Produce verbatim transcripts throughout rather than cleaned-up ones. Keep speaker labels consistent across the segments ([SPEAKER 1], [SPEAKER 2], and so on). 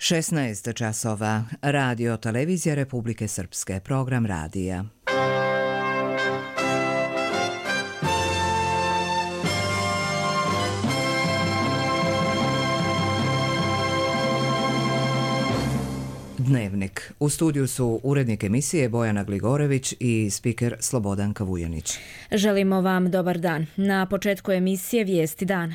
[SPEAKER 1] šesnaest časova. Radio Televizija Republike Srpske. Program radija. Dnevnik. U studiju su urednik emisije Bojana Gligorević i spiker Slobodanka Vujanić.
[SPEAKER 2] Želimo vam dobar dan. Na početku emisije Vijesti dana.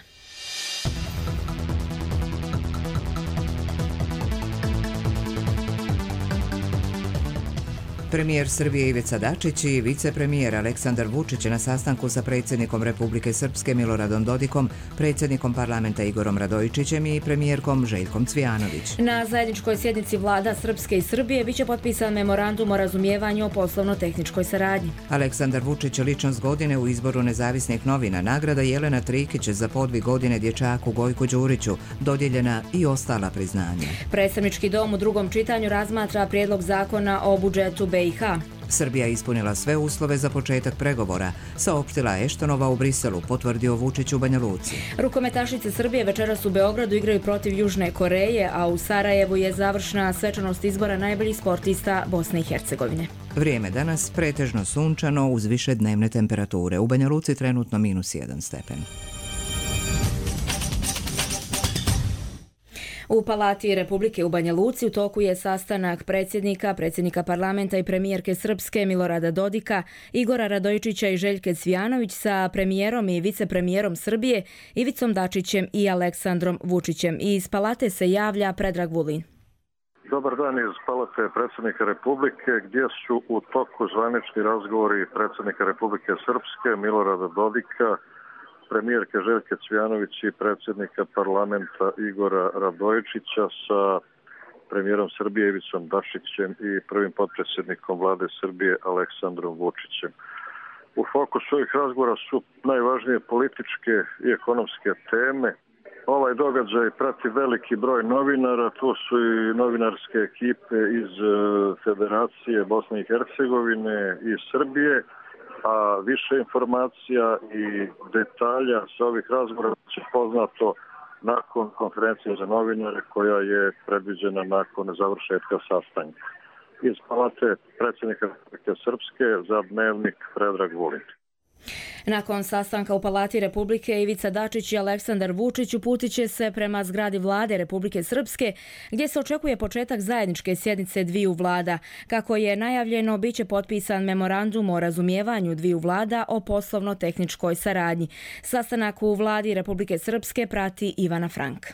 [SPEAKER 1] Premijer Srbije Ivica Dačić i vicepremijer Aleksandar Vučić na sastanku sa predsjednikom Republike Srpske Miloradom Dodikom, predsjednikom parlamenta Igorom Radojičićem i premijerkom Željkom Cvijanović.
[SPEAKER 2] Na zajedničkoj sjednici vlada Srpske i Srbije biće potpisan memorandum o razumijevanju o poslovno-tehničkoj saradnji.
[SPEAKER 1] Aleksandar Vučić ličnost godine u izboru nezavisnih novina, nagrada Jelena Trikić za podvig godine dječaku Gojku Đuriću, dodijeljena i ostala priznanja.
[SPEAKER 2] Predstavnički dom u drugom čitanju razmatra prijedlog zakona o budžetu B i H.
[SPEAKER 1] Srbija je ispunila sve uslove za početak pregovora, saopštila Eštonova u Briselu, potvrdio Vučić u Banja Luci.
[SPEAKER 2] Rukometašice Srbije večeras u Beogradu igraju protiv Južne Koreje, a u Sarajevu je završna svečanost izbora najboljih sportista Bosne i Hercegovine.
[SPEAKER 1] Vrijeme danas pretežno sunčano uz više dnevne temperature. U Banja Luci trenutno minus jedan stepen.
[SPEAKER 2] U Palati Republike u Banja Luci u toku je sastanak predsjednika, predsjednika parlamenta i premijerke Srpske Milorada Dodika, Igora Radojičića i Željke Cvijanović sa premijerom i vicepremijerom Srbije Ivicom Dačićem i Aleksandrom Vučićem. Iz Palate se javlja Predrag Vulin.
[SPEAKER 3] Dobar dan iz Palate predsjednika Republike, gdje su u toku zvanični razgovori predsjednika Republike Srpske Milorada Dodika, premijerke Željke Cvijanović i predsjednika parlamenta Igora Radojičića sa premijerom Srbije Ivicom Dačićem i prvim potpredsjednikom vlade Srbije Aleksandrom Vučićem. U fokusu ovih razgovora su najvažnije političke i ekonomske teme. Ovaj događaj prati veliki broj novinara, tu su i novinarske ekipe iz Federacije Bosne i Hercegovine i Srbije, a više informacija i detalja sa ovih razgovora će poznato nakon konferencije za novinare koja je predviđena nakon završetka sastanka. Iz Palate predsjednika Republike Srpske za Dnevnik Predrag Vulin.
[SPEAKER 2] Nakon sastanka u Palati Republike, Ivica Dačić i Aleksandar Vučić uputit će se prema zgradi vlade Republike Srpske, gdje se očekuje početak zajedničke sjednice dviju vlada. Kako je najavljeno, bit će potpisan memorandum o razumijevanju dviju vlada o poslovno-tehničkoj saradnji. Sastanak u vladi Republike Srpske prati Ivana Frank.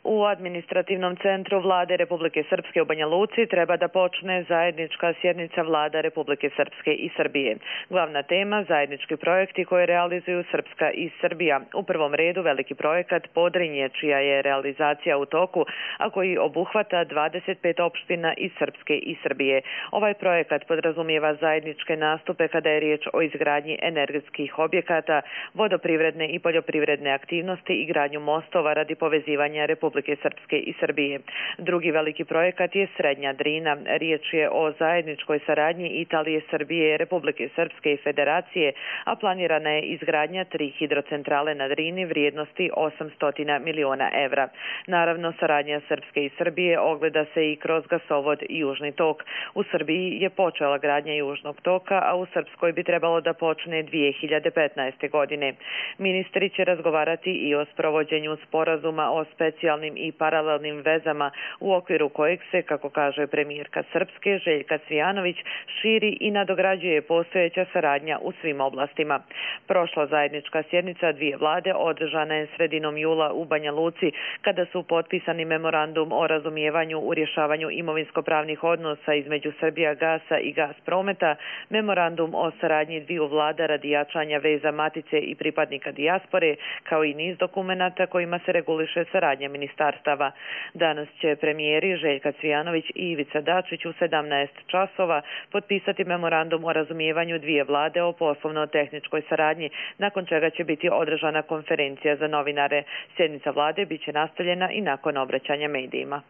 [SPEAKER 4] U administrativnom centru vlade Republike Srpske u Banja Luci treba da počne zajednička sjednica vlada Republike Srpske i Srbije. Glavna tema zajednički projekti koje realizuju Srpska i Srbija. U prvom redu veliki projekat Podrinje, čija je realizacija u toku, a koji obuhvata dvadeset pet opština iz Srpske i Srbije. Ovaj projekat podrazumijeva zajedničke nastupe kada je riječ o izgradnji energetskih objekata, vodoprivredne i poljoprivredne aktivnosti i gradnju mostova radi povezivanja Republike Republike Srpske i Srbije. Drugi veliki projekat je Srednja Drina. Riječ je o zajedničkoj saradnji Italije, Srbije, Republike Srpske i Federacije, a planirana je izgradnja tri hidrocentrale na Drini vrijednosti osamsto miliona evra. Naravno, saradnja Srpske i Srbije ogleda se i kroz gasovod Južni tok. U Srbiji je počela gradnja Južnog toka, a u Srpskoj bi trebalo da počne dvije hiljade petnaeste. godine. Ministri će razgovarati i o sprovođenju sporazuma o specijalnim i paralelnim vezama u okviru kojeg se, kako kaže premijerka Srpske Željka Cvijanović, širi i nadograđuje postojeća saradnja u svim oblastima. Prošla zajednička sjednica dvije vlade održana je sredinom jula u Banja Luci, kada su potpisani memorandum o razumijevanju u rješavanju imovinsko-pravnih odnosa između Srbijagasa i Gasprometa, memorandum o saradnji dviju vlada radi jačanja veza matice i pripadnika dijaspore, kao i niz dokumenata kojima se reguliše saradnja ministarstava. Danas će premijeri Željka Cvijanović i Ivica Dačić u sedamnaest časova potpisati memorandum o razumijevanju dvije vlade o poslovno-tehničkoj saradnji, nakon čega će biti održana konferencija za novinare. Sjednica vlade biće nastavljena i nakon obraćanja medijima.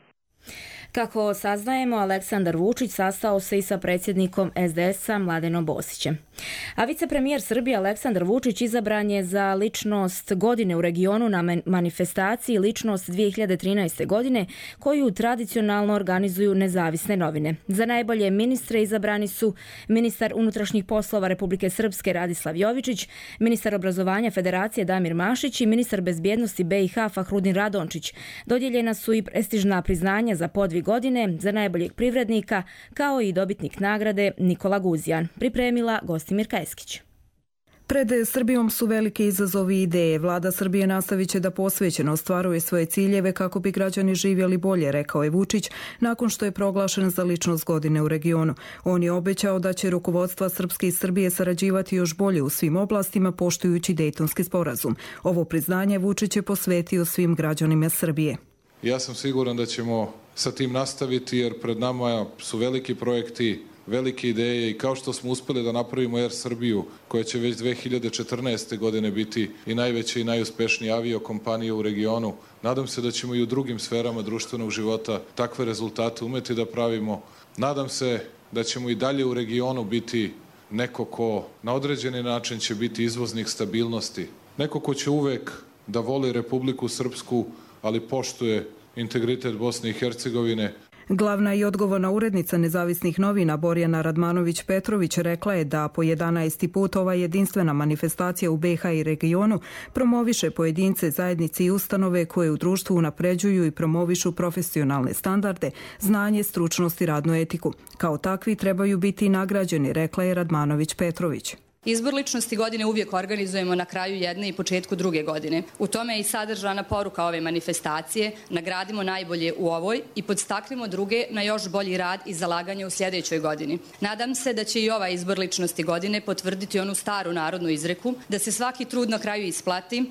[SPEAKER 2] Kako saznajemo, Aleksandar Vučić sastao se i sa predsjednikom es de es-a Mladenom Bosićem. A vicepremijer Srbije Aleksandar Vučić izabran je za ličnost godine u regionu na manifestaciji Ličnost dvije hiljade trinaeste. godine koju tradicionalno organizuju nezavisne novine. Za najbolje ministre izabrani su ministar unutrašnjih poslova Republike Srpske Radislav Jovičić, ministar obrazovanja Federacije Damir Mašić i ministar bezbjednosti be i ha Fahrudin Radončić. Dodijeljena su i prestižna priznanja za podvig godine, za najboljeg privrednika, kao i dobitnik nagrade Nikola Guzijan. Pripremila Gostimir Kajeskić.
[SPEAKER 5] Pred Srbijom su velike izazovi i ideje. Vlada Srbije nastavit će da posvećeno ostvaruje svoje ciljeve kako bi građani živjeli bolje, rekao je Vučić, nakon što je proglašen za ličnost godine u regionu. On je obećao da će rukovodstva Srpske i Srbije sarađivati još bolje u svim oblastima, poštujući Dejtonski sporazum. Ovo priznanje Vučić je posvetio svim građanima Srbije.
[SPEAKER 6] Ja sam siguran da ćemo sa tim nastaviti, jer pred nama su veliki projekti, velike ideje i kao što smo uspjeli da napravimo Er Srbiju, koja će već dve hiljade četrnaeste. godine biti i najveća i najuspešnija aviokompanija u regionu, nadam se da ćemo i u drugim sferama društvenog života takve rezultate umeti da pravimo. Nadam se da ćemo i dalje u regionu biti neko ko na određeni način će biti izvoznik stabilnosti, neko ko će uvek da voli Republiku Srpsku, ali poštuje integritet Bosne i Hercegovine.
[SPEAKER 5] Glavna i odgovorna urednica nezavisnih novina Borjana Radmanović-Petrović rekla je da po jedanaesti put ova jedinstvena manifestacija u be i ha i regionu promoviše pojedince, zajednice i ustanove koje u društvu unapređuju i promovišu profesionalne standarde, znanje, stručnost i radnu etiku. Kao takvi trebaju biti i nagrađeni, rekla je Radmanović-Petrović.
[SPEAKER 7] Izbor ličnosti godine uvijek organizujemo na kraju jedne i početku druge godine. U tome je i sadržana poruka ove manifestacije, nagradimo najbolje u ovoj i podstaknimo druge na još bolji rad i zalaganje u sljedećoj godini. Nadam se da će i ovaj izbor ličnosti godine potvrditi onu staru narodnu izreku, da se svaki trud na kraju isplati.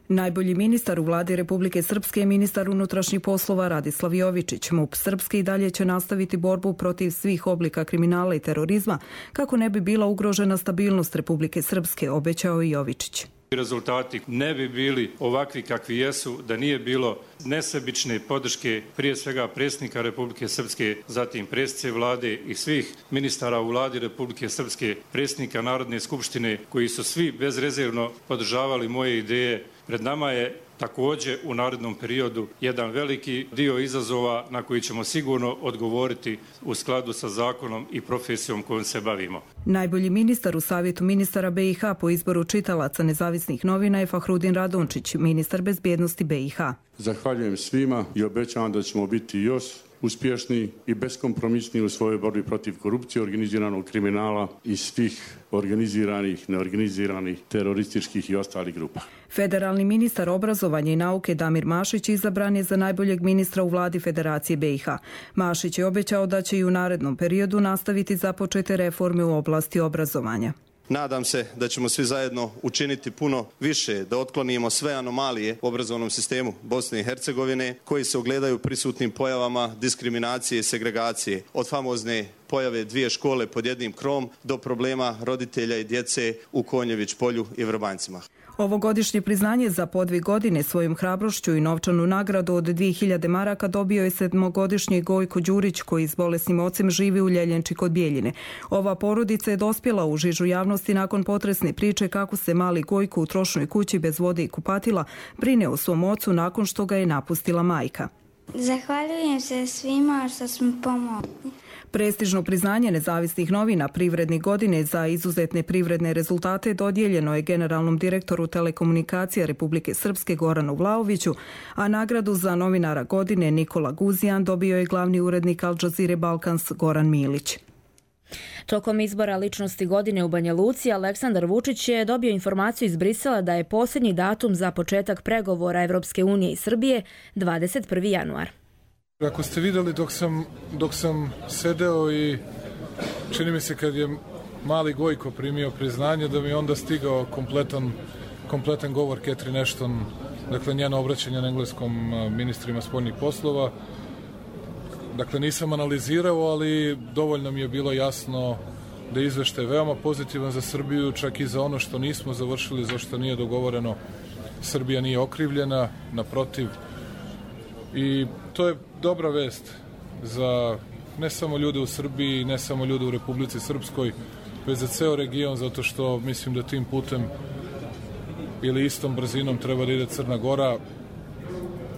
[SPEAKER 5] Najbolji ministar u vladi Republike Srpske je ministar unutrašnjih poslova Radislav Jovičić. MUP Srpske i dalje će nastaviti borbu protiv svih oblika kriminala i terorizma kako ne bi bila ugrožena stabilnost Republike Srpske, obećao i Jovičić.
[SPEAKER 8] Rezultati ne bi bili ovakvi kakvi jesu da nije bilo nesebične podrške prije svega predsjednika Republike Srpske, zatim predsjednice vlade i svih ministara u vladi Republike Srpske, predsjednika Narodne skupštine koji su svi bezrezervno podržavali moje ideje. Pred nama je također u narednom periodu jedan veliki dio izazova na koji ćemo sigurno odgovoriti u skladu sa zakonom i profesijom kojom se bavimo.
[SPEAKER 5] Najbolji ministar u Savjetu ministara be i ha po izboru čitalaca nezavisnih novina je Fahrudin Radončić, ministar bezbjednosti be i ha.
[SPEAKER 9] Zahvaljujem svima i obećavam da ćemo biti još uspješni i beskompromisni u svojoj borbi protiv korupcije, organiziranog kriminala i svih organiziranih, neorganiziranih, terorističkih i ostalih grupa.
[SPEAKER 5] Federalni ministar obrazovanja i nauke Damir Mašić izabran je za najboljeg ministra u vladi Federacije be i ha. Mašić je obećao da će i u narednom periodu nastaviti započete reforme u oblasti obrazovanja.
[SPEAKER 10] Nadam se da ćemo svi zajedno učiniti puno više da otklonimo sve anomalije u obrazovnom sistemu Bosne i Hercegovine koji se ogledaju prisutnim pojavama diskriminacije i segregacije, od famozne pojave dvije škole pod jednim krovom do problema roditelja i djece u Konjević polju i Vrbanjcima.
[SPEAKER 5] Ovogodišnje priznanje za podvig godine svojom hrabrošću i novčanu nagradu od dvije hiljade maraka dobio je sedmogodišnji Gojko Đurić koji s bolesnim ocem živi u Ljeljenči kod Bijeljine. Ova porodica je dospjela u žižu javnosti nakon potresne priče kako se mali Gojko u trošnoj kući bez vode i kupatila brine o svom ocu nakon što ga je napustila majka.
[SPEAKER 11] Zahvaljujem se svima što smo pomogli.
[SPEAKER 5] Prestižno priznanje nezavisnih novina privrednih godine za izuzetne privredne rezultate dodijeljeno je generalnom direktoru telekomunikacija Republike Srpske Goranu Vlaoviću, a nagradu za novinara godine Nikola Guzijan dobio je glavni urednik Al Jazeere Balkans Goran Milić.
[SPEAKER 2] Tokom izbora ličnosti godine u Banja Luci, Aleksandar Vučić je dobio informaciju iz Brisela da je posljednji datum za početak pregovora Evropske unije i Srbije dvadeset prvi januar.
[SPEAKER 12] Ako ste vidjeli dok sam, dok sam sedeo i čini mi se kad je mali Gojko primio priznanje da mi je onda stigao kompletan, kompletan govor Catherine Ashton, dakle njeno obraćanje na engleskom ministrima spoljnih poslova. Dakle nisam analizirao, ali dovoljno mi je bilo jasno da je izveštaj veoma pozitivan za Srbiju, čak i za ono što nismo završili, za što nije dogovoreno. Srbija nije okrivljena, naprotiv. I to je dobra vest. za ne samo ljude u Srbiji, ne samo ljude u Republici Srpskoj, već za ceo region, zato što mislim da tim putem ili istom brzinom treba da ide Crna Gora.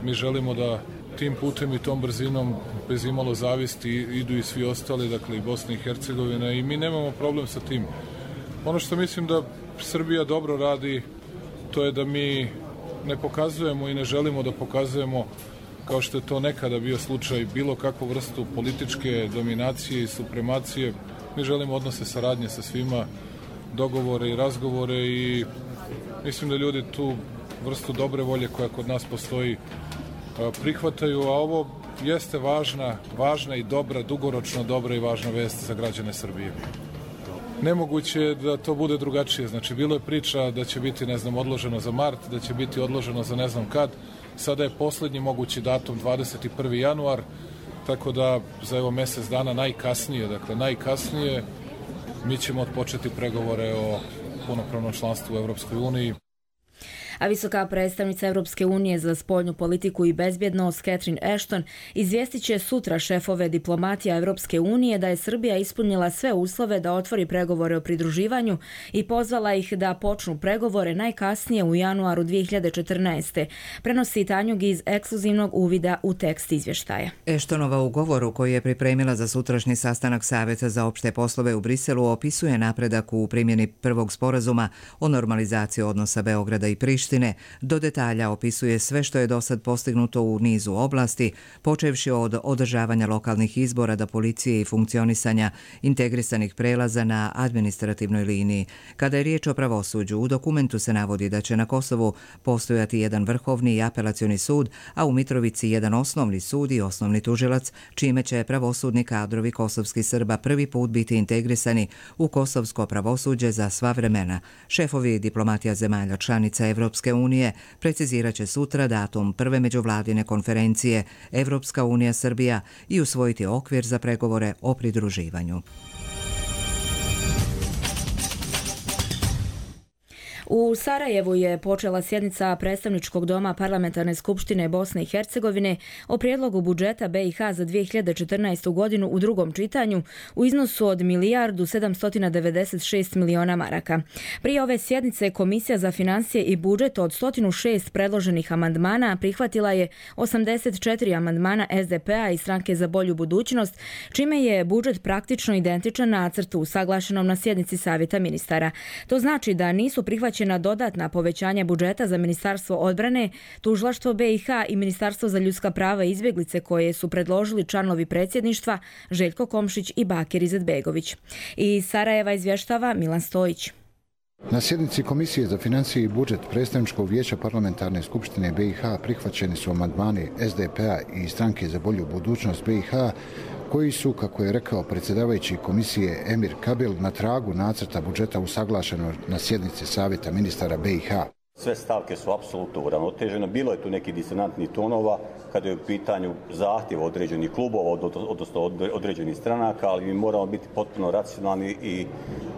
[SPEAKER 12] Mi želimo da tim putem i tom brzinom bez imalo zavisti idu i svi ostali, dakle i Bosna i Hercegovina, i mi nemamo problem sa tim. Ono što mislim da Srbija dobro radi, to je da mi ne pokazujemo i ne želimo da pokazujemo, kao što je to nekada bio slučaj, bilo kakvu vrstu političke dominacije i supremacije. Mi želimo odnose saradnje sa svima, dogovore i razgovore, i mislim da ljudi tu vrstu dobre volje koja kod nas postoji prihvataju, a ovo jeste važna, važna i dobra, dugoročno dobra i važna vest za građane Srbije. Nemoguće je da to bude drugačije. Znači, bilo je priča da će biti, ne znam, odloženo za mart, da će biti odloženo za ne znam kad. Sada je poslednji mogući datum dvadeset prvi januar, tako da za evo mesec dana najkasnije, dakle najkasnije, mi ćemo odpočeti pregovore o punopravnom članstvu u Evropskoj uniji.
[SPEAKER 2] A visoka predstavnica Evropske unije za spoljnu politiku i bezbjednost Catherine Ashton izvijestit će sutra šefove diplomatija Evropske unije da je Srbija ispunila sve uslove da otvori pregovore o pridruživanju i pozvala ih da počnu pregovore najkasnije u januaru dvije hiljade četrnaeste. Prenosi Tanjug iz ekskluzivnog uvida u tekst izvještaja.
[SPEAKER 1] Ashtonova u govoru koji je pripremila za sutrašnji sastanak Saveta za opšte poslove u Briselu opisuje napredak u primjeni prvog sporazuma o normalizaciji odnosa Beograda i Prištine. Do detalja opisuje sve što je do sad postignuto u nizu oblasti, počevši od održavanja lokalnih izbora do policije i funkcionisanja integrisanih prelaza na administrativnoj liniji. Kada je riječ o pravosuđu, u dokumentu se navodi da će na Kosovu postojati jedan vrhovni i apelacioni sud, a u Mitrovici jedan osnovni sud i osnovni tužilac, čime će pravosudni kadrovi kosovskih Srba prvi put biti integrisani u kosovsko pravosuđe za sva vremena. Šefovi diplomatija zemalja članica Evropske unije precizirat će sutra datum prve međuvladine konferencije Evropska unija Srbija i usvojiti okvir za pregovore o pridruživanju.
[SPEAKER 2] U Sarajevu je počela sjednica predstavničkog doma Parlamentarne skupštine Bosne i Hercegovine o prijedlogu budžeta B i H za dvije hiljade četrnaestu. godinu u drugom čitanju u iznosu od milijardu sedamsto devedeset šest miliona maraka. Prije ove sjednice Komisija za financije i budžet od sto šest predloženih amandmana prihvatila je osamdeset četiri amandmana S D P a i Stranke za bolju budućnost, čime je budžet praktično identičan nacrtu usaglašenom na sjednici Savjeta ministara. To znači da nisu prihvaćeni na dodatna povećanja budžeta za Ministarstvo odbrane, Tužilaštvo B i H i Ministarstvo za ljudska prava i izbjeglice koje su predložili članovi predsjedništva Željko Komšić i Bakir Izetbegović. Iz Sarajeva izvještava Milan Stojić.
[SPEAKER 13] Na sjednici Komisije za financije i budžet Predstavničkog vijeća Parlamentarne skupštine B i H prihvaćeni su amandmani S D P a i Stranke za bolju budućnost B i H, koji su, kako je rekao predsjedavajući komisije Emir Kabil, na tragu nacrta budžeta usaglašeno na sjednici Savjeta ministara B i H.
[SPEAKER 14] Sve stavke su apsolutno uravnotežene. Bilo je tu nekih disonantnih tonova kada je u pitanju zahtjev određenih klubova, odnosno određenih stranaka, ali mi moramo biti potpuno racionalni i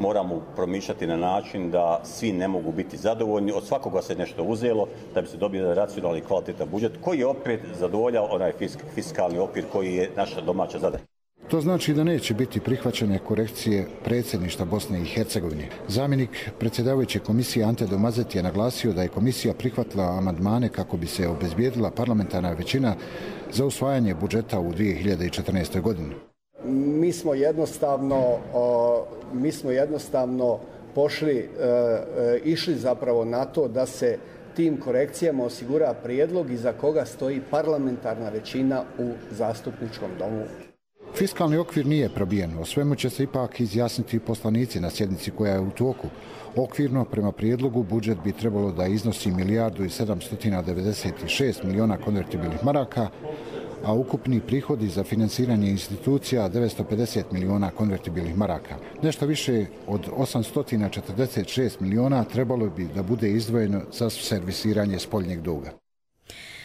[SPEAKER 14] moramo promišljati na način da svi ne mogu biti zadovoljni. Od svakoga se nešto uzelo da bi se dobio jedan racionalni i kvalitetan budžet koji je opet zadovoljao onaj fiskalni okvir koji je naša domaća zadaća.
[SPEAKER 13] To znači da neće biti prihvaćene korekcije predsjedništva Bosne i Hercegovine. Zamjenik predsjedavajuće komisije Ante Domazet je naglasio da je komisija prihvatila amandmane kako bi se obezbijedila parlamentarna većina za usvajanje budžeta u dvije hiljade četrnaestoj. godini.
[SPEAKER 15] Mi smo jednostavno, mi smo jednostavno pošli, išli zapravo na to da se tim korekcijama osigura prijedlog iza koga stoji parlamentarna većina u zastupničkom domu.
[SPEAKER 13] Fiskalni okvir nije probijen, o svemu će se ipak izjasniti poslanici na sjednici koja je u toku. Okvirno, prema prijedlogu, budžet bi trebalo da iznosi milijardu i sedamsto devedeset šest miliona konvertibilnih maraka, a ukupni prihodi za finansiranje institucija devetsto pedeset miliona konvertibilnih maraka. Nešto više od osamsto četrdeset šest miliona trebalo bi da bude izdvojeno za servisiranje spoljnjeg duga.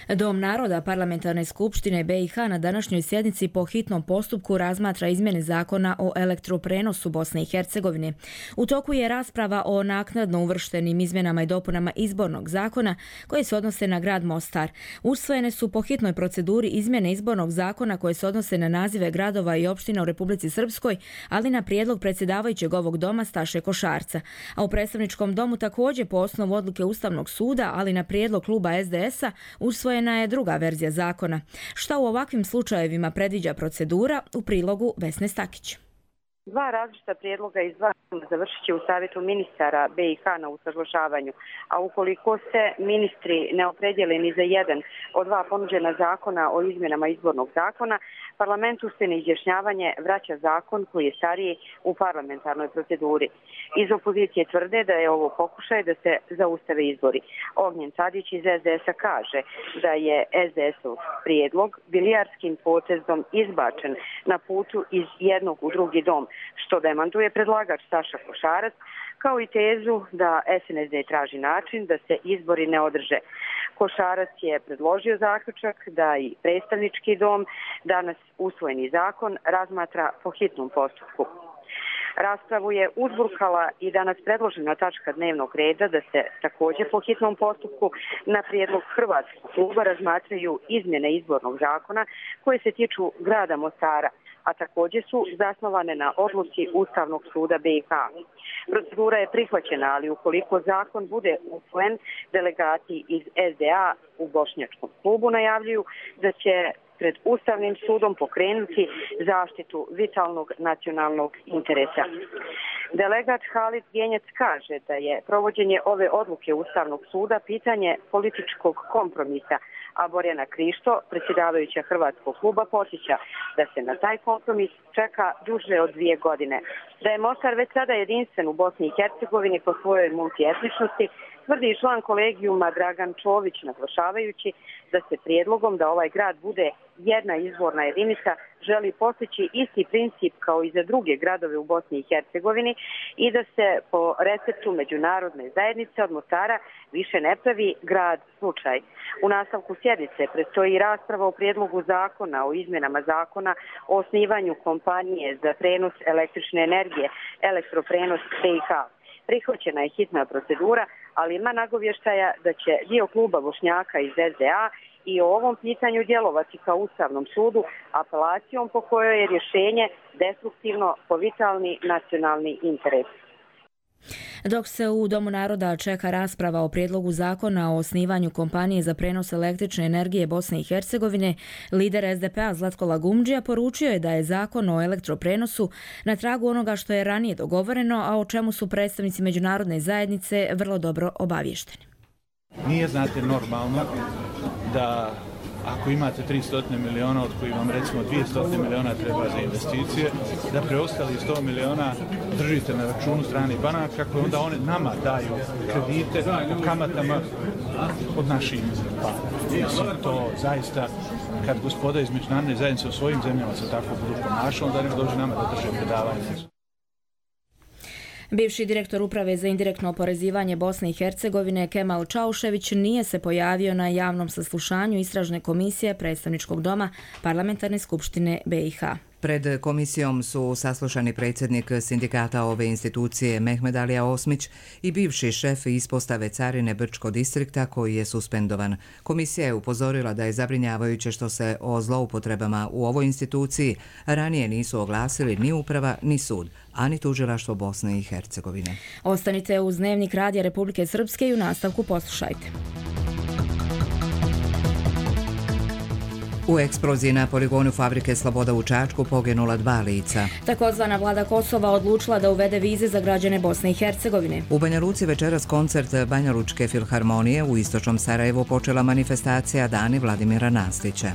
[SPEAKER 2] Dom naroda Parlamentarne skupštine B i H na današnjoj sjednici po hitnom postupku razmatra izmjene zakona o elektroprenosu Bosne i Hercegovine. U toku je rasprava o naknadno uvrštenim izmjenama i dopunama izbornog zakona koje se odnose na grad Mostar. Usvojene su po hitnoj proceduri izmjene izbornog zakona koje se odnose na nazive gradova i opština u Republici Srpskoj, ali na prijedlog predsjedavajućeg ovog doma Staše Košarca. A u predstavničkom domu također po osnovu odluke Ustavnog suda, ali na prijedlog kluba S D S-a usvojena je druga verzija zakona. Šta u ovakvim slučajevima predviđa procedura, u prilogu Vesne Stakić.
[SPEAKER 16] Dva različita prijedloga iz dva završit će u savjetu ministara B i H na usaglašavanju, a ukoliko se ministri ne opredijele ni za jedan od dva ponuđena zakona o izmjenama izbornog zakona, parlamentu se na izjašnjavanje vraća zakon koji je stariji u parlamentarnoj proceduri. Iz opozicije tvrde da je ovo pokušaj da se zaustave izbori. Ognjen Tadić iz S D S-a kaže da je S D S-ov prijedlog bilijarskim potezom izbačen na putu iz jednog u drugi dom, što demantuje predlagač Staša Košarac, kao i tezu da S N S D traži način da se izbori ne održe. Košarac je predložio zaključak da i predstavnički dom danas usvojeni zakon razmatra po hitnom postupku. Raspravu je uzburkala i danas predložena tačka dnevnog reda da se također po hitnom postupku na prijedlog Hrvatskog kluba razmatraju izmjene izbornog zakona koje se tiču grada Mostara, a također su zasnovane na odluci Ustavnog suda B i H. Procedura je prihvaćena, ali ukoliko zakon bude usvojen, delegati iz S D A u Bošnjačkom klubu najavljuju da će pred Ustavnim sudom pokrenuti zaštitu vitalnog nacionalnog interesa. Delegat Halid Genjec kaže da je provođenje ove odluke Ustavnog suda pitanje političkog kompromisa, a Borjana Krišto, predsjedavajuća Hrvatskog kluba, podsjeća da se na taj kompromis čeka duže od dvije godine. Da je Mostar već sada jedinstven u Bosni i Hercegovini po svojoj multietničnosti, tvrdi i član kolegijuma Dragan Čović, naglašavajući da se prijedlogom da ovaj grad bude jedna izborna jedinica želi postići isti princip kao i za druge gradove u Bosni i Hercegovini i da se po receptu međunarodne zajednice od Mostara više ne pravi grad slučaj. U nastavku sjednice predstoji rasprava o prijedlogu zakona o izmjenama zakona o osnivanju kompanije za prenos električne energije, elektroprenos B i H. Prihvaćena je hitna procedura, ali ima nagovještaja da će dio kluba Bošnjaka iz S D A i o ovom pitanju djelovati kao Ustavnom sudu apelacijom po kojoj je rješenje destruktivno po vitalni nacionalni interes.
[SPEAKER 2] Dok se u Domu naroda čeka rasprava o prijedlogu zakona o osnivanju kompanije za prenos električne energije Bosne i Hercegovine, lider S D P-a Zlatko Lagumdžija poručio je da je zakon o elektroprenosu na tragu onoga što je ranije dogovoreno, a o čemu su predstavnici međunarodne zajednice vrlo dobro obavješteni.
[SPEAKER 17] Nije, znate, normalno da ako imate tristo miliona, od kojih vam recimo dvjesto miliona treba za investicije, da preostali sto miliona držite na računu stranih banaka koje onda one nama daju kredite u kamatama od naših para. Mislim, to zaista, kad gospoda iz međunarodne zajednice u svojim zemljama se tako budu ponašali, onda ne dođe nama da drže predavanje.
[SPEAKER 2] Bivši direktor Uprave za indirektno oporezivanje Bosne i Hercegovine Kemal Čaušević nije se pojavio na javnom saslušanju Istražne komisije Predstavničkog doma Parlamentarne skupštine B i H.
[SPEAKER 1] Pred komisijom su saslušani predsjednik sindikata ove institucije Mehmed Alija Osmić i bivši šef ispostave carine Brčko distrikta koji je suspendovan. Komisija je upozorila da je zabrinjavajuće što se o zloupotrebama u ovoj instituciji ranije nisu oglasili ni uprava ni sud, a ni tužilaštvo Bosne i Hercegovine.
[SPEAKER 2] Ostanite uz Dnevnik Radija Republike Srpske i u nastavku poslušajte.
[SPEAKER 1] U eksploziji na poligonu fabrike Sloboda u Čačku poginula dva lica.
[SPEAKER 2] Takozvana vlada Kosova odlučila da uvede vize za građane Bosne i Hercegovine.
[SPEAKER 1] U Banja Luci večeras koncert Banja Lučke filharmonije, u istočnom Sarajevu počela manifestacija Dani Vladimira Nastića.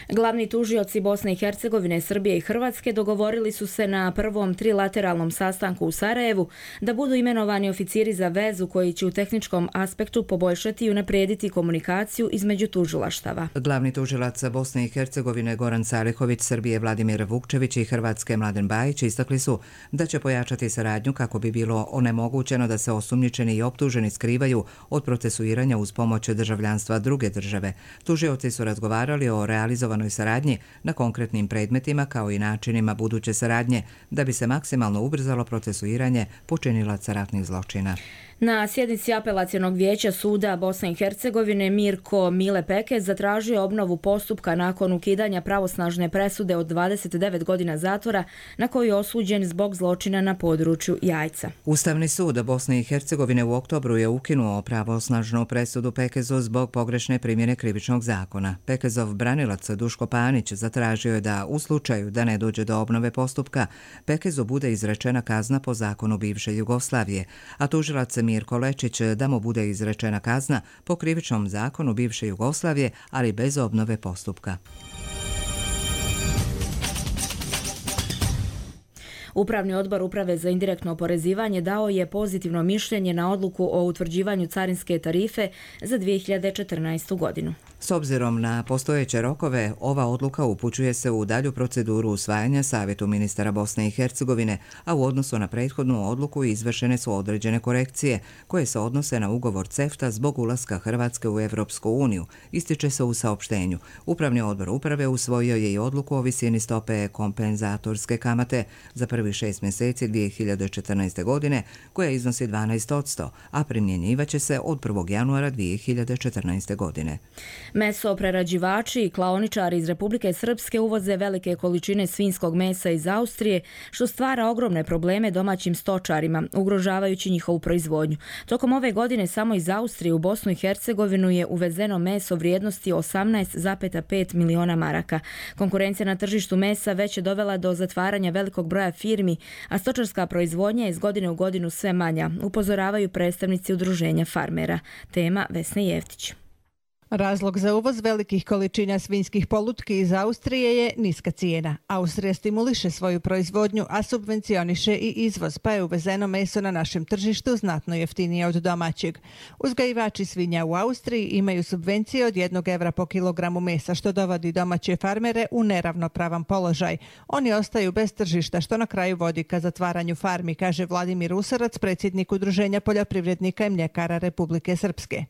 [SPEAKER 2] Glavni tužioci Bosne i Hercegovine, Srbije i Hrvatske dogovorili su se na prvom trilateralnom sastanku u Sarajevu da budu imenovani oficiri za vezu koji će u tehničkom aspektu poboljšati i unaprijediti komunikaciju između tužilaštava.
[SPEAKER 1] Glavni tužilac Bosne i Hercegovine Goran Salihović, Srbije Vladimir Vukčević i Hrvatske Mladen Bajić istakli su da će pojačati saradnju kako bi bilo onemogućeno da se osumnjičeni i optuženi skrivaju od procesuiranja uz pomoć državljanstva druge države. Tužioci su razgovarali o realizovanoj saradnji na konkretnim predmetima kao i načinima buduće saradnje da bi se maksimalno ubrzalo procesuiranje počinilaca ratnih zločina.
[SPEAKER 2] Na sjednici apelacionog vijeća suda Bosne i Hercegovine Mirko Mile Pekez zatražio obnovu postupka nakon ukidanja pravosnažne presude od dvadeset devet godina zatvora na koju je osuđen zbog zločina na području Jajca.
[SPEAKER 1] Ustavni sud Bosne i Hercegovine u oktobru je ukinuo pravosnažnu presudu Pekezu zbog pogrešne primjene krivičnog zakona. Pekezov branilac Duško Panić zatražio je da u slučaju da ne dođe do obnove postupka Pekezu bude izrečena kazna po zakonu bivše Jugoslavije, a tužilac Mirko Lečić da mu bude izrečena kazna po krivičnom zakonu bivše Jugoslavije, ali bez obnove postupka.
[SPEAKER 2] Upravni odbor Uprave za indirektno oporezivanje dao je pozitivno mišljenje na odluku o utvrđivanju carinske tarife za dvije hiljade četrnaestu godinu.
[SPEAKER 1] S obzirom na postojeće rokove, ova odluka upućuje se u dalju proceduru usvajanja Savjetu ministara Bosne i Hercegovine, a u odnosu na prethodnu odluku izvršene su određene korekcije koje se odnose na ugovor CEFTA zbog ulaska Hrvatske u Evropsku uniju, ističe se u saopštenju. Upravni odbor Uprave usvojio je i odluku o visini stope kompenzatorske kamate za prvi šest mjeseci dvije hiljade četrnaeste. godine, koja iznosi dvanaest posto, a primjenjivaće se od prvog januara dvije hiljade četrnaeste. godine.
[SPEAKER 2] Mesoprerađivači i klaoničari iz Republike Srpske uvoze velike količine svinjskog mesa iz Austrije, što stvara ogromne probleme domaćim stočarima, ugrožavajući njihovu proizvodnju. Tokom ove godine samo iz Austrije u Bosnu i Hercegovinu je uvezeno meso vrijednosti osamnaest zarez pet miliona maraka. Konkurencija na tržištu mesa već je dovela do zatvaranja velikog broja firmi, a stočarska proizvodnja je iz godine u godinu sve manja, upozoravaju predstavnici udruženja farmera. Tema Vesna Jeftić.
[SPEAKER 18] Razlog za uvoz velikih količina svinjskih polutki iz Austrije je niska cijena. Austrija stimuliše svoju proizvodnju, a subvencioniše i izvoz, pa je uvezeno meso na našem tržištu znatno jeftinije od domaćeg. Uzgajivači svinja u Austriji imaju subvencije od jednog evra po kilogramu mesa, što dovodi domaće farmere u neravnopravan položaj. Oni ostaju bez tržišta, što na kraju vodi ka zatvaranju farmi, kaže Vladimir Usarac, predsjednik Udruženja poljoprivrednika i mljekara Republike Srpske.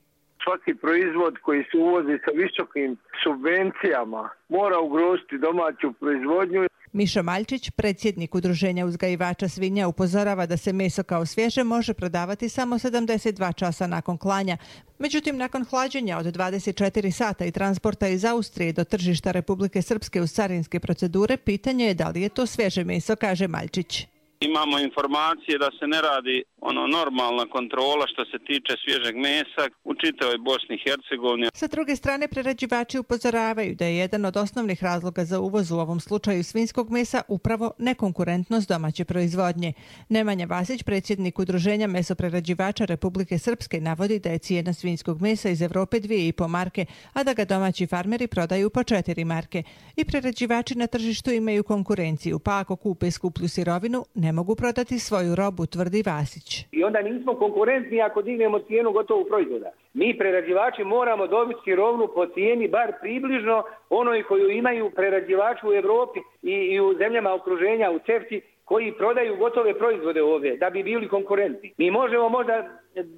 [SPEAKER 19] Svaki proizvod koji se uvozi sa visokim subvencijama mora ugroziti domaću proizvodnju.
[SPEAKER 18] Mišo Maljčić, predsjednik Udruženja uzgajivača svinja, upozorava da se meso kao svježe može prodavati samo sedamdeset dva časa nakon klanja. Međutim, nakon hlađenja od dvadeset četiri sata i transporta iz Austrije do tržišta Republike Srpske uz carinske procedure, pitanje je da li je to svježe meso, kaže Maljčić.
[SPEAKER 20] Imamo informacije da se ne radi ono normalna kontrola što se tiče svježeg mesa u čitavoj Bosni i Hercegovini.
[SPEAKER 18] Sa druge strane, prerađivači upozoravaju da je jedan od osnovnih razloga za uvoz u ovom slučaju svinjskog mesa upravo nekonkurentnost domaće proizvodnje. Nemanja Vasić, predsjednik Udruženja mesoprerađivača Republike Srpske, navodi da je cijena svinjskog mesa iz Evrope dvije i po marke, a da ga domaći farmeri prodaju po četiri marke. I prerađivači na tržištu imaju konkurenciju, pa ako kupe skuplju sirovinu, ne mogu prodati svoju robu, tvrdi Vasić.
[SPEAKER 21] I onda nismo konkurentni ako dignemo cijenu gotovog proizvoda. Mi prerađivači moramo dobiti sirovinu po cijeni bar približno onoj koju imaju prerađivači u Evropi i, i u zemljama okruženja, u CEFTI, koji prodaju gotove proizvode ovdje da bi bili konkurentni. Mi možemo možda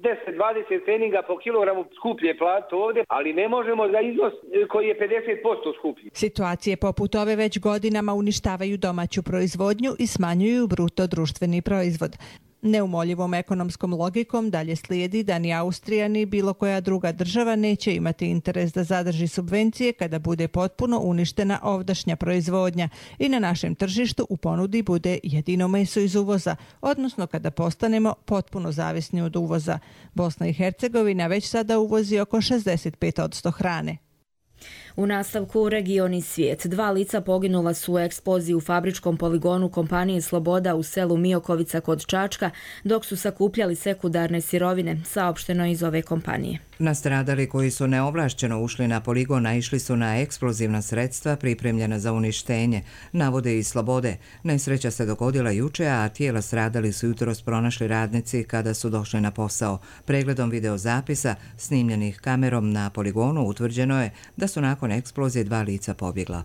[SPEAKER 21] deset do dvadeset pfeninga po kilogramu skuplje platiti ovdje, ali ne možemo za iznos koji je pedeset posto skuplji.
[SPEAKER 18] Situacije poput ove već godinama uništavaju domaću proizvodnju i smanjuju bruto društveni proizvod. Neumoljivom ekonomskom logikom dalje slijedi da ni Austrija ni bilo koja druga država neće imati interes da zadrži subvencije kada bude potpuno uništena ovdašnja proizvodnja i na našem tržištu u ponudi bude jedino meso iz uvoza, odnosno kada postanemo potpuno zavisni od uvoza. Bosna i Hercegovina već sada uvozi oko šezdeset pet posto hrane.
[SPEAKER 2] U nastavku region i svijet. Dva lica poginula su u eksploziji u fabričkom poligonu kompanije Sloboda u selu Miokovica kod Čačka, dok su sakupljali sekundarne sirovine, saopšteno iz ove kompanije.
[SPEAKER 1] Nastradali koji su neovlašćeno ušli na poligon naišli su na eksplozivna sredstva pripremljena za uništenje, navode iz Slobode. Nesreća se dogodila juče, a tijela stradali su jutros pronašli radnici kada su došli na posao. Pregledom videozapisa snimljenih kamerom na poligonu utvrđeno je da su nakon eksplozije dva lica pobjegla.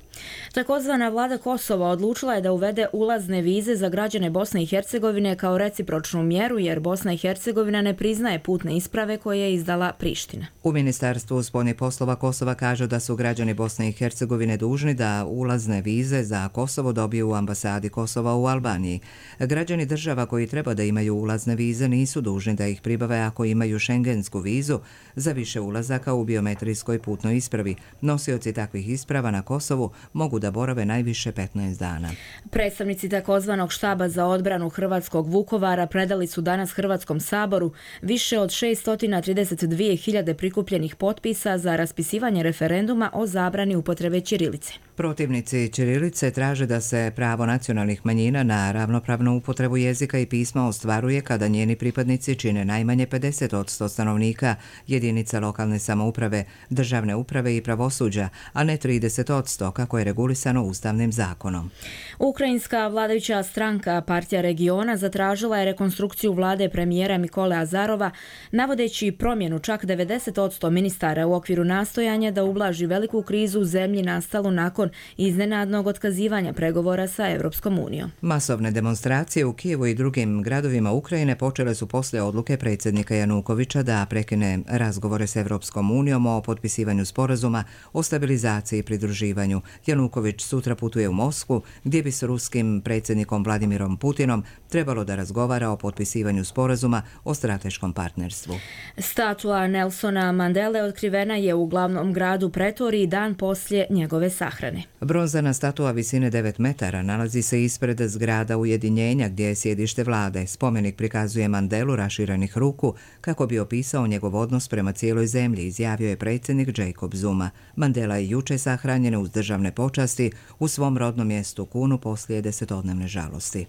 [SPEAKER 2] Takozvana vlada Kosova odlučila je da uvede ulazne vize za građane Bosne i Hercegovine kao recipročnu mjeru, jer Bosna i Hercegovina ne priznaje putne isprave koje je izdala Priština.
[SPEAKER 1] U Ministarstvu spoljnih poslova Kosova kažu da su građani Bosne i Hercegovine dužni da ulazne vize za Kosovo dobiju u ambasadi Kosova u Albaniji. Građani država koji treba da imaju ulazne vize nisu dužni da ih pribave ako imaju šengensku vizu za više ulazaka u biometrijskoj putnoj ispravi. Nosioci takvih isprava na Kosovu mogu da borave najviše petnaest dana.
[SPEAKER 2] Predstavnici takozvanog štaba za odbranu hrvatskog Vukovara predali su danas Hrvatskom saboru više od šessto trideset dvije hiljade prikupljenih potpisa za raspisivanje referenduma o zabrani upotrebe ćirilice.
[SPEAKER 1] Protivnici ćirilice traže da se pravo nacionalnih manjina na ravnopravnu upotrebu jezika i pisma ostvaruje kada njeni pripadnici čine najmanje pedeset posto stanovnika jedinica lokalne samouprave, državne uprave i pravosuđa, a ne trideset posto kako je regulisano ustavnim zakonom.
[SPEAKER 2] Ukrajinska vladajuća stranka Partija regiona zatražila je rekonstrukciju vlade premijera Mikole Azarova, navodeći promjenu čak devedeset posto ministara u okviru nastojanja da ublaži veliku krizu u zemlji nastalu nakon iznenadnog otkazivanja pregovora sa Europskom unijom.
[SPEAKER 1] Masovne demonstracije u Kijevu i drugim gradovima Ukrajine počele su poslije odluke predsjednika Janukovića da prekine razgovore s Europskom unijom o potpisivanju sporazuma o stabilizaciji i pridruživanju. Januković sutra putuje u Moskvu, gdje bi s ruskim predsjednikom Vladimirom Putinom trebalo da razgovara o potpisivanju sporazuma o strateškom partnerstvu.
[SPEAKER 2] Statua Nelsona Mandele otkrivena je u glavnom gradu Pretoriji dan poslije njegove sahrane.
[SPEAKER 1] Bronzana statua visine devet metara nalazi se ispred zgrada Ujedinjenja gdje je sjedište vlade. Spomenik prikazuje Mandelu raširenih ruku kako bi opisao njegov odnos prema cijeloj zemlji, izjavio je predsjednik Jacob Zuma. Mandela je juče sahranjen uz državne počasti u svom rodnom mjestu Kunu poslije desetodnevne žalosti.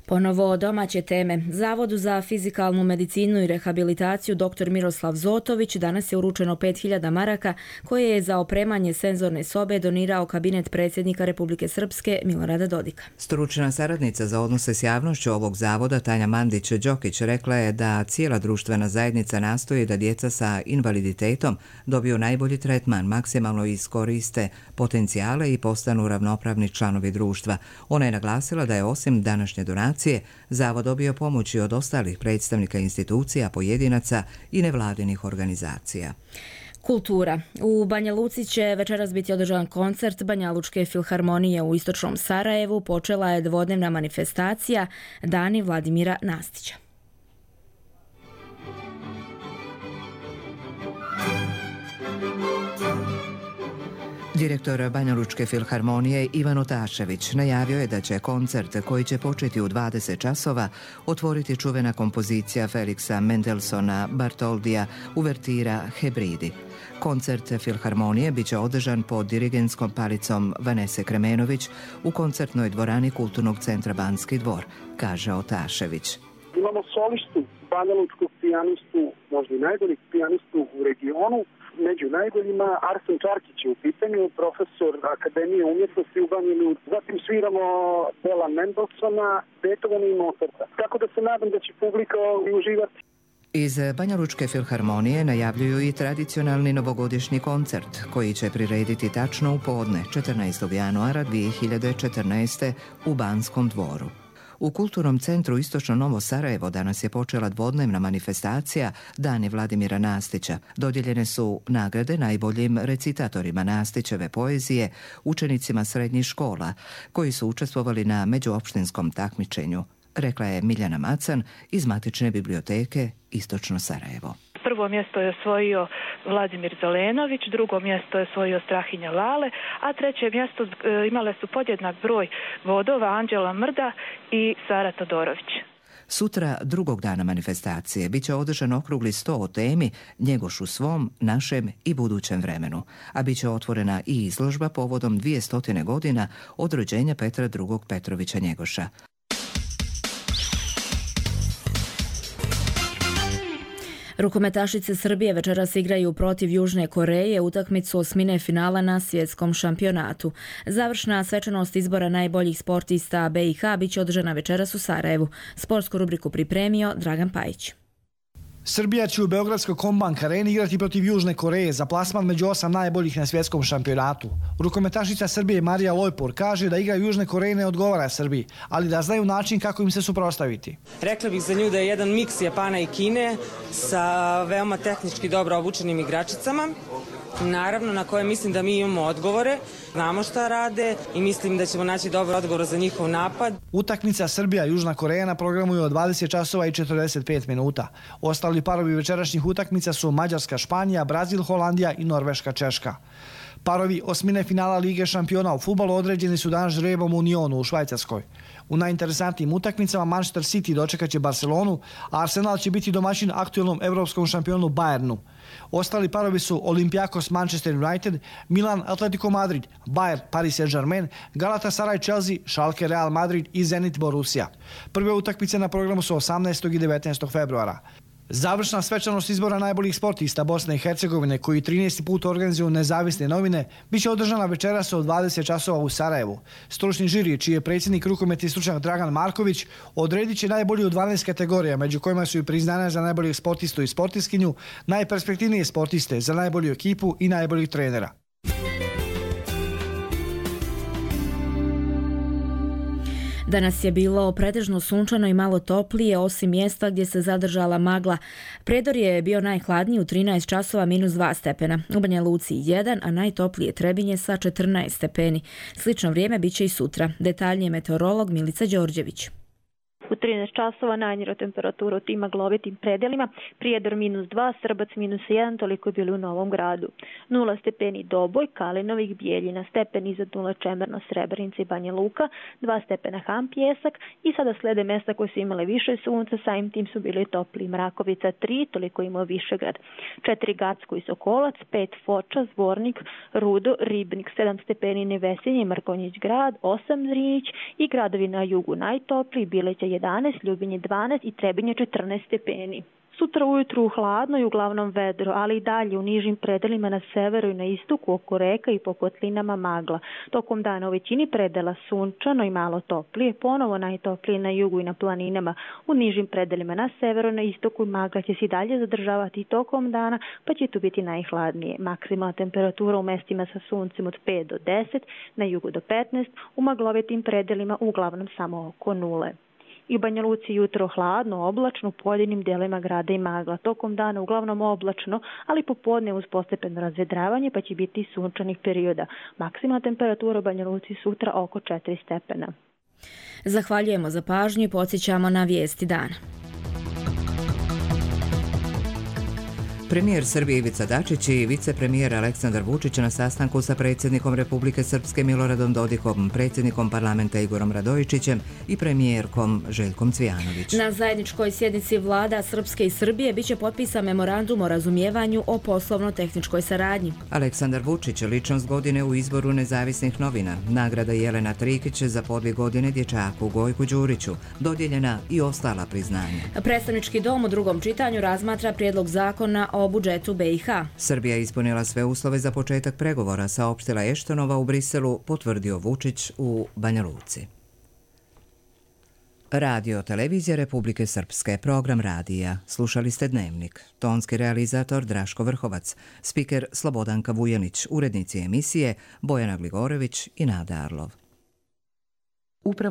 [SPEAKER 2] Ponovo domaće teme. Zavodu za fizikalnu medicinu i rehabilitaciju dr. Miroslav Zotović danas je uručeno pet hiljada maraka koje je za opremanje senzorne sobe donirao kabinet predsjednika Republike Srpske Milorada Dodika.
[SPEAKER 1] Stručna saradnica za odnose s javnošću ovog zavoda Tanja Mandić-Đokić rekla je da cijela društvena zajednica nastoji da djeca sa invaliditetom dobiju najbolji tretman, maksimalno iskoriste potencijale i postanu ravnopravni članovi društva. Ona je naglasila da je osim današnje donacije Zavod dobio pomoći od ostalih predstavnika institucija, pojedinaca i nevladinih organizacija.
[SPEAKER 2] Kultura. U Banja Luci će večeras biti održan koncert Banja Lučke filharmonije u istočnom Sarajevu. Počela je dvodnevna manifestacija Dani Vladimira Nastića.
[SPEAKER 1] Direktor Banja Lučke filharmonije Ivan Otašević najavio je da će koncert koji će početi u dvadeset časova otvoriti čuvena kompozicija Feliksa Mendelsona Bartoldija uvertira Hebridi. Koncert filharmonije biće održan pod dirigentskom palicom Vanese Kremenović u koncertnoj dvorani Kulturnog centra Banski dvor, kaže Otašević.
[SPEAKER 3] Imamo solistu, Banja Lučkog pijanistu, možda i najboljeg pijanistu u regionu. Među najboljima Arsen Čarkić je u pitanju, profesor Akademije umjetnosti u Banja Luci. Zatim sviramo Bela Mendelsona, Beethovena i Mozarta. Tako da se nadam da će publika uživati.
[SPEAKER 1] Iz Banja Lučke filharmonije najavljuju i tradicionalni novogodišnji koncert koji će prirediti tačno u podne četrnaestog januara dvije hiljade četrnaeste. u Banskom dvoru. U Kulturnom centru Istočno Novo Sarajevo danas je počela dvodnevna manifestacija Dani Vladimira Nastića. Dodijeljene su nagrade najboljim recitatorima Nastićeve poezije, učenicima srednjih škola, koji su učestvovali na međuopštinskom takmičenju, rekla je Miljana Macan iz Matične biblioteke Istočno Sarajevo.
[SPEAKER 22] Prvo mjesto je osvojio Vladimir Zelenović, drugo mjesto je osvojio Strahinja Lale, a treće mjesto imale su podjednak broj bodova Anđela Mrda i Sara Todorović.
[SPEAKER 1] Sutra, drugog dana manifestacije, bit će održan okrugli sto o temi Njegoš u svom, našem i budućem vremenu, a bit će otvorena i izložba povodom dvije godina od rođenja Petra drugog Petrovića Njegoša.
[SPEAKER 2] Rukometašice Srbije večeras igraju protiv Južne Koreje utakmicu osmine finala na svjetskom šampionatu. Završna svečanost izbora najboljih sportista B i H biće održana večeras u Sarajevu. Sportsku rubriku pripremio Dragan Pajić.
[SPEAKER 4] Srbija će u Beogradskoj Kombank areni igrati protiv Južne Koreje za plasman među osam najboljih na svjetskom šampionatu. Rukometašica Srbije Marija Lojpor kaže da igra Južne Koreje ne odgovara Srbiji, ali da znaju način kako im se suprotstaviti.
[SPEAKER 6] Rekla bih za nju da je jedan miks Japana i Kine sa veoma tehnički dobro obučenim igračicama. Naravno, na koje mislim da mi imamo odgovore, znamo šta rade i mislim da ćemo naći dobar odgovor za njihov napad.
[SPEAKER 4] Utakmica Srbija-Južna Koreja na programu je od dvadeset časova i četrdeset pet minuta. Ostali parovi večerašnjih utakmica su Mađarska-Španija, Brazil-Holandija i Norveška-Češka. Parovi osmine finala Lige šampiona u fudbalu određeni su danas žrebom u Nyonu u Švajcarskoj. U najinteresantnijim utakmicama Manchester City dočekaće Barcelonu, a Arsenal će biti domaćin aktuelnom evropskom šampionu Bayernu. Ostali parovi su Olympiakos Manchester United, Milan Atletico Madrid, Bayern Paris Saint-Germain, Galatasaray Chelsea, Schalke Real Madrid i Zenit Borussia. Prve utakmice na programu su osamnaestog i devetnaestog februara. Završna svečanost izbora najboljih sportista Bosne i Hercegovine, koji trinaesti put organizuju nezavisne novine, biće održana večeras od dvadeset časova u Sarajevu. Stručni žiri, čiji je predsjednik rukometni stručnjak Dragan Marković, odredit će najbolji u dvanaest kategorija, među kojima su i priznanja za najboljeg sportistu i sportiskinju, najperspektivnije sportiste, za najbolju ekipu i najboljih trenera.
[SPEAKER 2] Danas je bilo pretežno sunčano i malo toplije, osim mjesta gdje se zadržala magla. Predor je bio najhladniji u trinaest časova minus dva stepena, u Banja Luci jedan, a najtoplije Trebinje sa četrnaest stepeni. Slično vrijeme biće i sutra. Detaljnije meteorolog Milica Đorđević.
[SPEAKER 23] U trinaest časova najniža temperatura u tim maglovitim predelima, Prijedor minus dva, Srbac minus jedan, toliko je bilo u Novom Gradu. nula stepeni Doboj, Kalinovih, Bijeljina, stepen iznad nula Čemerno, Srebrenica i Banja Luka, dva stepena Ham, Pjesak i sada slede mjesta koje su imale više sunca, samim tim su bili topli. Mrakovica tri, toliko imao Višegrad, četiri Gacko i Sokolac, pet Foča, Zvornik, Rudo, Ribnik, sedam stepeni Nevesinje, Mrkonjić grad, osam Zrinjić i gradovi na jugu najtopliji, Bileća jedanaest, Ljubinje dvanaest i Trebinje četrnaest stepeni. Sutra ujutru hladno i uglavnom vedro, ali i dalje u nižim predelima na severu i na istoku oko reka i po kotlinama magla. Tokom dana u većini predela sunčano i malo toplije, ponovo najtoplije na jugu i na planinama. U nižim predelima na severu i na istoku magla će se i dalje zadržavati tokom dana, pa će tu biti najhladnije. Maksimalna temperatura u mestima sa suncem od pet do deset, na jugu do petnaest, u maglovitim predelima uglavnom samo oko nule. I u Banja Luci jutro hladno, oblačno, u pojedinim dijelovima grada i magla. Tokom dana uglavnom oblačno, ali popodne uz postepeno razvedravanje, pa će biti sunčanih perioda. Maksimalna temperatura u Banja Luci sutra oko četiri stepena.
[SPEAKER 2] Zahvaljujemo za pažnju i podsjećamo na vijesti dana.
[SPEAKER 1] Premijer Srbije Ivica Dačić i vicepremijer Aleksandar Vučić na sastanku sa predsjednikom Republike Srpske Miloradom Dodikom, predsjednikom parlamenta Igorom Radojičićem i premijerkom Željkom Cvijanović.
[SPEAKER 2] Na zajedničkoj sjednici vlada Srpske i Srbije biće potpisan memorandum o razumijevanju o poslovno-tehničkoj saradnji.
[SPEAKER 1] Aleksandar Vučić, ličnost godine u izboru nezavisnih novina, nagrada Jelena Trikić za podvig godine dječaku Gojku Đuriću, dodijeljena i ostala priznanja.
[SPEAKER 2] Predstavnički dom u drugom čitanju razmatra prijedlog zakona o budžetu B i H.
[SPEAKER 1] Srbija je ispunila sve uslove za početak pregovora, saopštila Eštonova u Briselu, potvrdio Vučić u Banja Luci. Radio televizija Republike Srpske, program radija. Slušali ste Dnevnik. Tonski realizator Draško Vrhovac, spiker Slobodanka Vujanić, urednici emisije Bojana Gligorević i Nada Arlov. Upravo